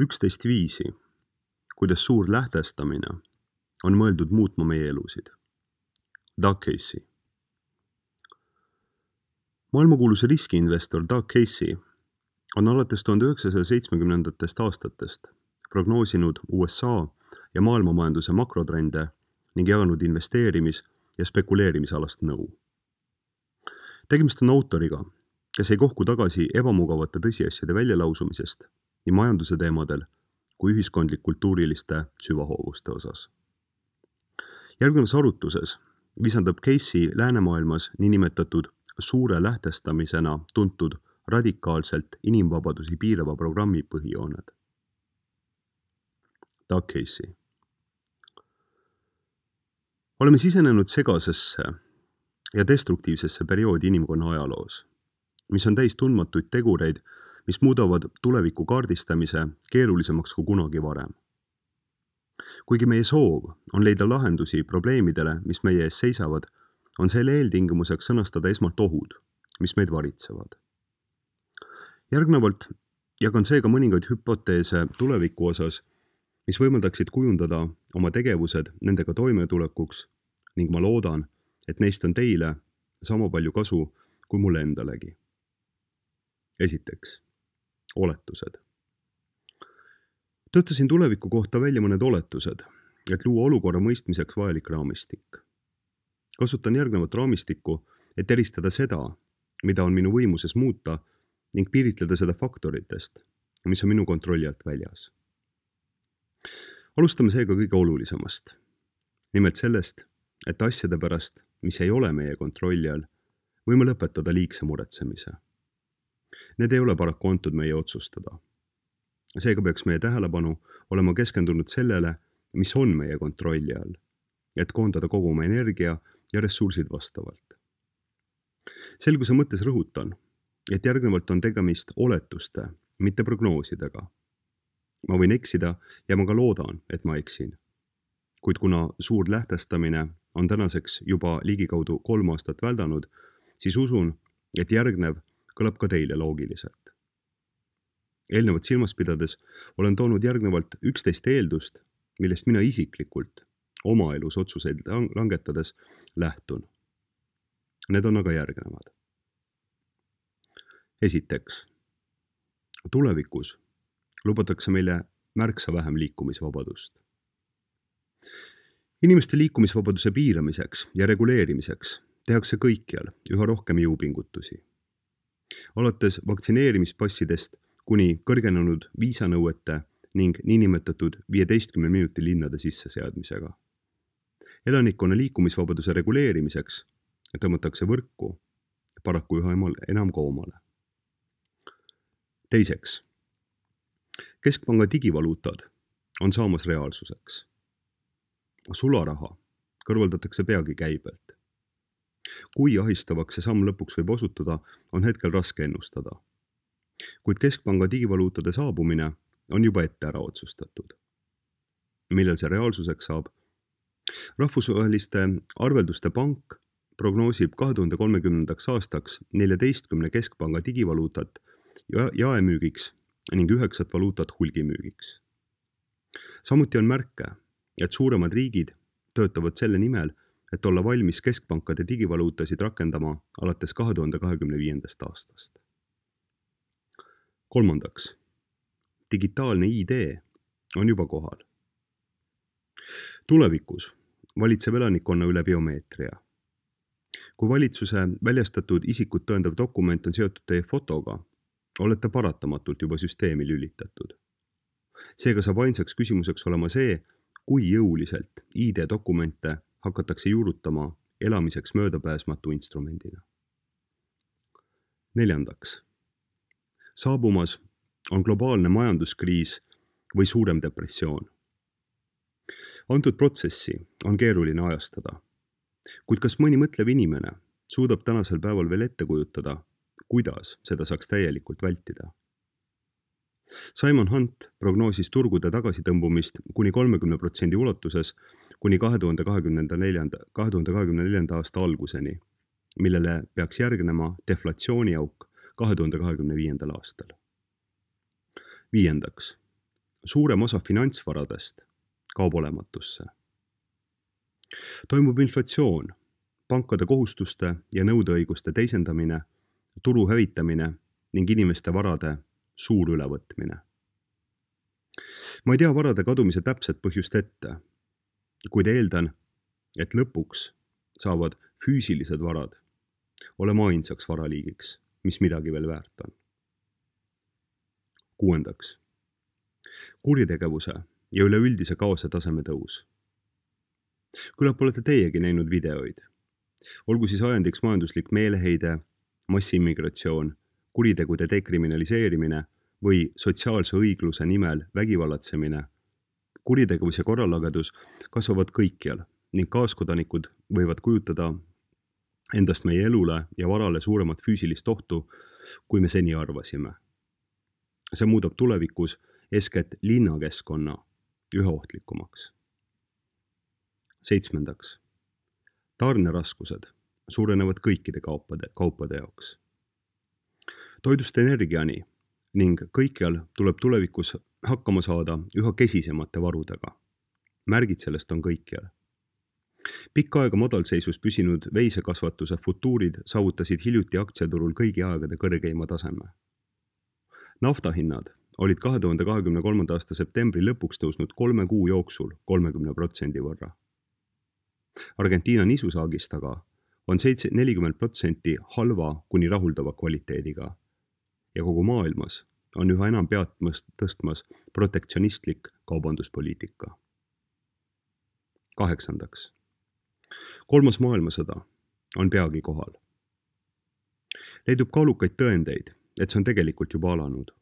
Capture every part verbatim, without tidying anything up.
üksteist viisi, kuidas suur lähtestamine on mõeldud muutma meie elusid. Doug Casey. Maailmakuulus riskiinvestor Doug Casey on alates tuhande üheksasaja seitsmekümnendatest aastatest prognoosinud U S A ja maailmamajanduse makrotrende ning jaganud investeerimis- ja spekuleerimisalast nõu. Tegemist on autoriga, kes ei kohku tagasi ebamugavate tõsiasjade väljalausumisest nii majanduse teemadel kui ühiskondlik-kultuuriliste süvahoovuste osas. Järgnevas arutluses visandab Casey läänemaailmas niinimetatud suure lähtestamisena tuntud radikaalselt inimvabadusi piirava programmi põhijooned. Doug Casey. Oleme sisenenud segasesse ja destruktiivsesse perioodi inimkonna ajaloos, mis on täis tundmatuid tegureid, mis muudavad tuleviku kaardistamise keerulisemaks kui kunagi varem. Kuigi meie soov on leida lahendusi probleemidele, mis meie ees seisavad, on selle eeltingimuseks sõnastada esmalt ohud, mis meid varitsevad. Järgnevalt jagan seega mõningaid hüpoteese tuleviku osas, mis võimaldaksid kujundada oma tegevused nendega toimetulekuks ning ma loodan, et neist on teile sama palju kasu kui mulle endalegi. Esiteks, oletused. Töötasin tuleviku kohta välja mõned oletused, et luua olukorra mõistmiseks vajalik raamistik. Kasutan järgnevat raamistikku, et eristada seda, mida on minu võimuses muuta ning piiritleda seda faktoritest, mis on minu kontrolli alt väljas. Alustame seega kõige olulisemast. Nimelt sellest, et asjade pärast, mis ei ole meie kontrolli all, võime lõpetada liigse muretsemise. Need ei ole paraku antud meie otsustada. Seega peaks meie tähelepanu olema keskendunud sellele, mis on meie kontrolli all, et koondada kogu oma energia ja ressursid vastavalt. Selguse mõttes rõhutan, et järgnevalt on tegemist oletuste, mitte prognoosidega. Ma võin eksida ja ma ka loodan, et ma eksin. Kuid kuna suur lähtestamine on tänaseks juba ligikaudu kolm aastat väldanud, siis usun, et järgnev kõlab ka teile loogiliselt. Eelnevat silmas pidades olen toonud järgnevalt üksteist eeldust, millest mina isiklikult oma elus otsuseid langetades lähtun. Need on aga järgnevad. Esiteks, tulevikus lubatakse meile märksa vähem liikumisvabadust. Inimeste liikumisvabaduse piiramiseks ja reguleerimiseks tehakse kõikjal üha rohkem jõupingutusi. Alates vaktsineerimispassidest kuni kõrgenenud viisanõuete ning niinimetatud viieteistkümne minuti linnade sisseseadmisega. Elanikkonna liikumisvabaduse reguleerimiseks tõmmatakse võrku paraku üha enam koomale. Teiseks, keskpanga digivaluutad on saamas reaalsuseks. Sularaha kõrvaldatakse peagi käibelt. Kui ahistavaks see samm lõpuks võib osutuda, on hetkel raske ennustada. Kuid keskpanga digivaluutade saabumine on juba ette ära otsustatud. Millal see reaalsuseks saab? Rahvusvaheliste arvelduste pank prognoosib kahe tuhande kolmekümnendaks aastaks neljateistkümne keskpanga digivaluutat jaemüügiks ning üheksat valuutat hulgimüügiks. Samuti on märke, et suuremad riigid töötavad selle nimel, et olla valmis keskpankade digivaluutasid rakendama alates kahe tuhande kahekümne viiendast aastast. Kolmandaks, digitaalne I D on juba kohal. Tulevikus valitseb elanikkonna üle biomeetria. Kui valitsuse väljastatud isikut tõendav dokument on seotud teie fotoga, olete paratamatult juba süsteemi lülitatud. Seega saab ainsaks küsimuseks olema see, kui jõuliselt I D-dokumente hakatakse juurutama elamiseks möödapääsmatu instrumendina. Neljandaks, saabumas on globaalne majanduskriis või suurem depressioon. Antud protsessi on keeruline ajastada, kuid kas mõni mõtlev inimene suudab tänasel päeval veel ette kujutada, kuidas seda saaks täielikult vältida? Simon Hunt prognoosis turgude tagasitõmbumist kuni kolmekümne protsendi ulatuses kuni kahe tuhande kahekümne neljanda aasta alguseni, millele peaks järgnema deflatsiooniauk kahe tuhande kahekümne viiendal aastal. Viiendaks, suurem osa finantsvaradest kaob olematusse. Toimub inflatsioon, pankade kohustuste ja nõudeõiguste teisendamine, turu hävitamine ning inimeste varade suur ülevõtmine. Ma ei tea varade kadumise täpset põhjust ette, kuid eeldan, et lõpuks saavad füüsilised varad olema ainsaks varaliigiks, mis midagi veel väärt on. Kuuendaks. Kuritegevuse ja üleüldise kaose taseme tõus. Küllap olete teiegi näinud videoid. Olgu siis ajendiks majanduslik meeleheide, massiimmigratsioon, kuritegude dekriminaliseerimine või sotsiaalse õigluse nimel vägivallatsemine. Kuritegevus ja korralagedus kasvavad kõikjal ning kaaskodanikud võivad kujutada endast meie elule ja varale suuremat füüsilist ohtu, kui me seni arvasime. See muudab tulevikus eeskätt linnakeskkonna üha ohtlikumaks. Seitsmendaks. Tarneraskused suurenevad kõikide kaupade, kaupade jaoks. Toidust energiani ning kõikjal tuleb tulevikus hakkama saada üha kesisemate varudega. Märgid sellest on kõikjal. Pikka aega madalseisus püsinud veisekasvatuse futuurid saavutasid hiljuti aktsiaturul kõigi aegade kõrgeima taseme. Naftahinnad olid kahe tuhande kahekümne kolmanda aasta septembri lõpuks tõusnud kolme kuu jooksul kolmekümne protsendi võrra. Argentiina nisusaagist aga on nelikümmend protsenti halva kuni rahuldava kvaliteediga ja kogu maailmas on üha enam pead tõstmas protektsionistlik kaubanduspoliitika. Kaheksandaks. Kolmas maailmasõda on peagi kohal. Leidub kaalukaid tõendeid, et see on tegelikult juba alanud.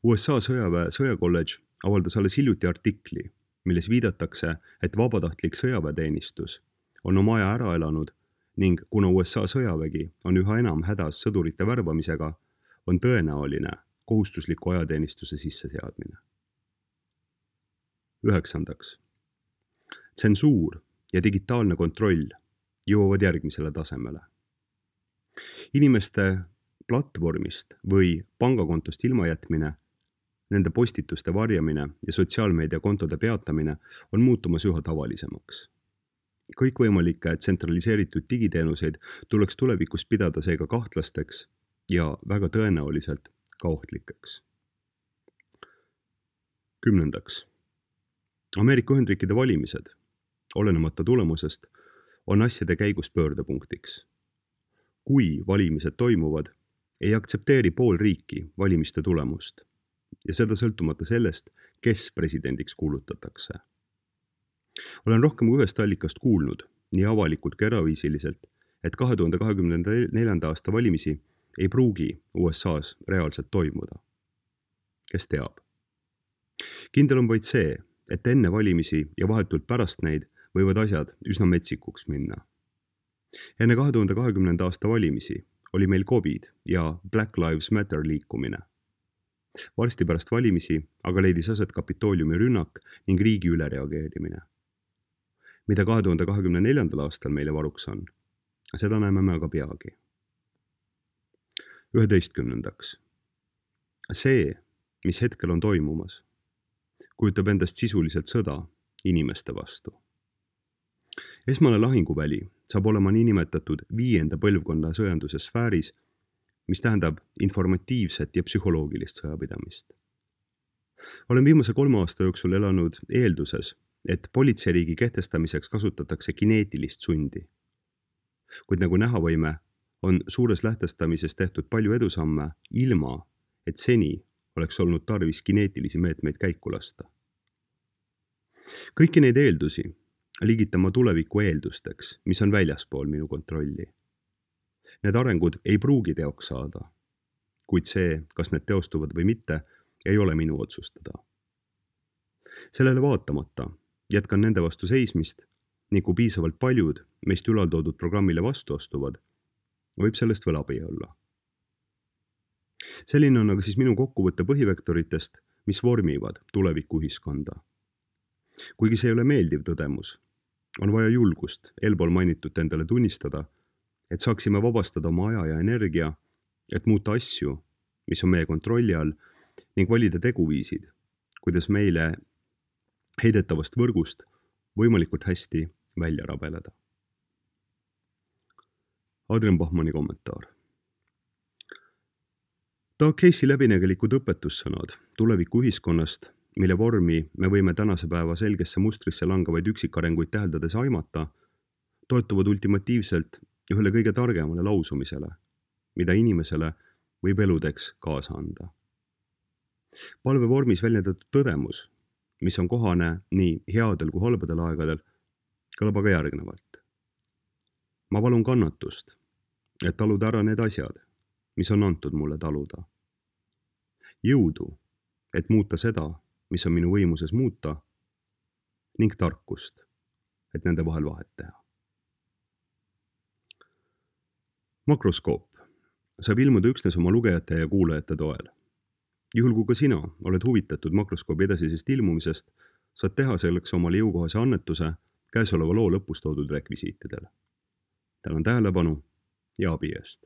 U S A sõjaväe sõjakolledž avaldas alles hiljuti artikli, milles viidatakse, et vabatahtlik sõjaväeteenistus on oma aja ära elanud ning kuna U S A sõjavägi on üha enam hädas sõdurite värbamisega, on tõenäoline kohustusliku ajateenistuse sisseseadmine. Üheksandaks. Tsensuur ja digitaalne kontroll jõuavad järgmisele tasemele. Inimeste platvormist või pangakontost ilmajätmine, nende postituste varjamine ja sotsiaalmeediakontode peatamine on muutumas üha tavalisemaks. Kõikvõimalikke tsentraliseeritud digiteenuseid tuleks tulevikus pidada seega kahtlasteks ja väga tõenäoliselt ka ohtlikeks. Kümnendaks. Ameerika Ühendriikide valimised, olenemata tulemusest, on asjade käigus pöördepunktiks. Kui valimised toimuvad, ei aktsepteeri pool riiki valimiste tulemust ja seda sõltumata sellest, kes presidendiks kuulutatakse. Olen rohkem kui ühest allikast kuulnud, nii avalikult kui eraviisiliselt, et kahe tuhande kahekümne neljanda aasta valimisi ei pruugi U S A's reaalselt toimuda. Kes teab? Kindel on vaid see, et enne valimisi ja vahetult pärast neid võivad asjad üsna metsikuks minna. Enne kahe tuhande kahekümnenda aasta valimisi oli meil COVID ja Black Lives Matter liikumine. Varsti pärast valimisi aga leidis aset Kapitooliumi rünnak ning riigi ülereageerimine. Mida kahe tuhande kahekümne neljandal aastal meile varuks on, seda näeme me aga peagi. Üheteistkümnendaks. See, mis hetkel on toimumas, kujutab endast sisuliselt sõda inimeste vastu. Esmane lahinguväli saab olema niinimetatud viienda põlvkonna sõjanduse sfääris, mis tähendab informatiivset ja psühholoogilist sõjapidamist. Olen viimase kolme aasta jooksul elanud eelduses, et politseiriigi kehtestamiseks kasutatakse kineetilist sundi. Kuid nagu näha võime, on suures lähtestamises tehtud palju edusamme ilma, et seni oleks olnud tarvis kineetilisi meetmeid käiku lasta. Kõiki neid eeldusi liigitama tuleviku eeldusteks, mis on väljaspool minu kontrolli. Need arengud ei pruugi teoks saada, kuid see, kas need teostuvad või mitte, ei ole minu otsustada. Sellele vaatamata jätkan nende vastu seismist ning kui piisavalt paljud meist ülaltoodud programmile vastu astuvad, võib sellest veel abi olla. Selline on aga siis minu kokkuvõtte põhivektoritest, mis vormivad tuleviku ühiskonda. Kuigi see ei ole meeldiv tõdemus, on vaja julgust eelpool mainitut endale tunnistada, et saaksime vabastada oma aja ja energia, et muuta asju, mis on meie kontrolli all, ning valida teguviisid, kuidas meile heidetavast võrgust võimalikult hästi välja rabeleda. Adrian Bachmanni kommentaar. Ta Casey läbinägelikud õpetussõnad tuleviku ühiskonnast, mille vormi me võime tänase päeva selgesse mustrisse langevaid üksikarenguid täheldades aimata, toetuvad ultimatiivselt ühele kõige targemale lausumisele, mida inimesele võib eludeks kaasa anda. Palve vormis väljendatud tõdemus, mis on kohane nii headel kui halbadel aegadel, kõlab aga järgnevalt. Ma palun kannatust, et taluda ära need asjad, mis on antud mulle taluda. Jõudu, et muuta seda, mis on minu võimuses muuta, ning tarkust, et nende vahel vahet teha. Makroskoop saab ilmuda üksnes oma lugejate ja kuulajate toel. Juhul kui ka sina oled huvitatud makroskoobi edasisest ilmumisest, saad teha selleks omale jõukohase annetuse käesoleva loo lõpus toodud rekvisiitidel. Tänan tähelepanu ja abi eest.